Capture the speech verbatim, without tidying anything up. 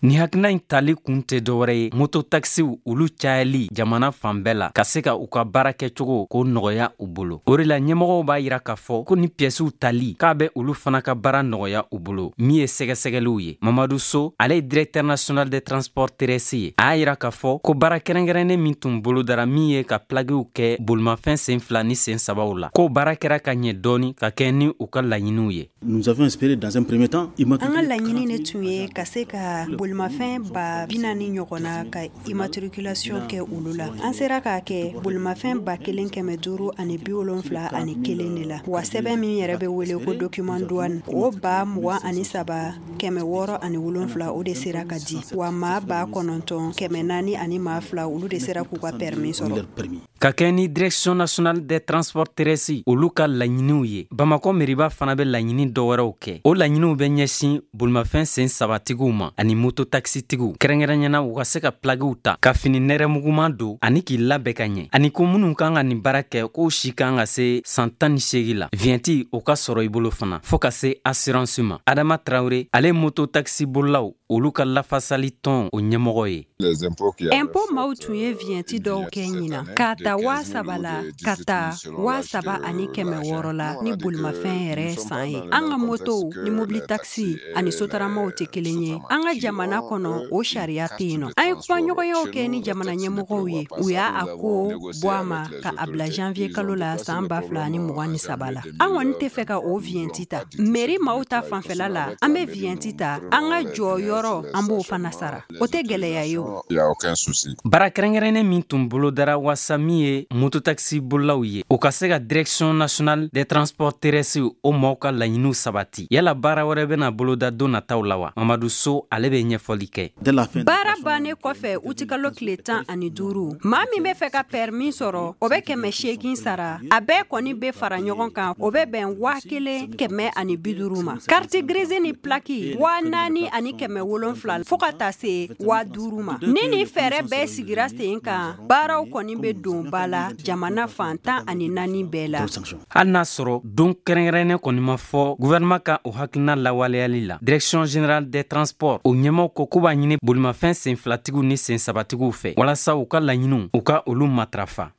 Nin hakilina in tali kun tɛ dɔwɛrɛ ye, mototakisiw olu cayali jamana fan bɛɛ la, ka se ka u ka baara kɛcogo k'o nɔgɔya u bolo. O de la ɲɛmɔgɔw b'a yira k'a fɔ ko ni piyɛsiw tali k'a bɛ olu fana ka baara nɔgɔya u bolo, min ye sɛgɛsɛgɛliw ye. Mamadu So, ale ye directeur national des transports terrestres ye, a y'a yira k'a fɔ ko baara kɛrɛnkɛrɛnnen min tun bolodara, min ye ka plagiw kɛ bolimafɛn sen fila ni sen sabaw la, k'o baara kɛra ka ɲɛ dɔɔni ka kɛ ni u ka laɲiniw ye. Nous avions espéré dans un premier temps. An ka laɲini de tun ye ka se ka bolimafɛn ba bi naani ɲɔgɔn na ka immatriculation kɛ olu la. An sera k'a kɛ bolimafɛn ba kelen kɛmɛ duuru ani bi wolonfila ani kelen de la. Wa sɛbɛn min yɛrɛ bɛ wele ko document douane, o ba mugan ani saba kɛmɛ wɔɔrɔ ani wolonfila, o de sera ka di. Wa maa ba kɔnɔntɔn kɛmɛ naani ani maa fila, olu de sera k'u ka permis sɔrɔ. Ka kɛ ni Direction nationale des transports terrestres olu ka laɲiniw ye, Bamakɔ meriba fana bɛ laɲini dɔwɛrɛw kɛ. O laɲiniw bɛ ɲɛsin bolimafɛn sen sabatigiw ma ani mototakisitigiw, kɛrɛnkɛrɛnyana u ka se ka plagiw ta, ka fini nɛrɛmuguman don ani k'i labɛn ka ɲɛ, ani ko minnu kan ka nin baara kɛ, k'o si kan ka se san tan ni seegin la, vignette o ka sɔrɔ i bolo fana, fɔɔ ka se assurance ma. Adama Tarawele, ale mototakisi bolilaw olu ka lafasali tɔn o ɲɛmɔgɔ ye. Impôt maaw tun ye vignette dɔw kɛ ɲinan k'a ta waa saba la ka taa waa saba ani kɛmɛ wɔɔrɔ la ni bolimafɛn yɛrɛ san ye. An ka motow ni mobili takisi ani sotaramaw tɛ kelen ye. An ka jamana kɔnɔ, o sariya tɛ yen nɔ. An ye kumaɲɔgɔnyaw kɛ ni jamana ɲɛmɔgɔw ye, u y'a a ko bɔ a ma ka a bila janvier kalo la san ba fila ani mugan ni saba la. An kɔni tɛ fɛ ka o vignette ta. Mairie maaw ta fanfɛla la, an bɛ vignette ta, an ka jɔyɔrɔ, an b'o fana sara, o tɛ gɛlɛya ye o. Baara kɛrɛnkɛrɛnnen min tun bolodara waasa min ye mototakisi bolilaw ye, o ka se ka Direction nationale des transports terrestres o maaw ka laɲiniw sabati, yala baara wɛrɛ bɛna boloda don nataw la wa? Mamadu So, ale bɛ ɲɛfɔli kɛ. Baara bannen kɔfɛ utikalo tile tan ani duuru, maa min bɛ fɛ ka permis sɔrɔ, o bɛ kɛmɛ seegin sara. A bɛɛ kɔni bɛ fara ɲɔgɔn kan, o bɛ bɛn waa kelen kɛmɛ ani bi duuru ma. Carte grise ni plaque, waa naani ani kɛmɛ wolonfila fo ka taa se waa duuru ma. Ni nin fɛɛrɛ bɛɛ sigira sen kan, baaraw kɔni bɛ don ba la jamana fan tan ani naani bɛɛ la. Hali n'a sɔrɔ don kɛrɛnkɛrɛnnen kɔni ma fɔ gouvernement ka o hakilina lawaleyali la, Direction générale des transports o ɲɛmaw ko k'u b'a ɲini bolimafɛn sen filatigiw ni sen sabatigiw fɛ walasa u ka laɲiniw, u ka olu matarafa.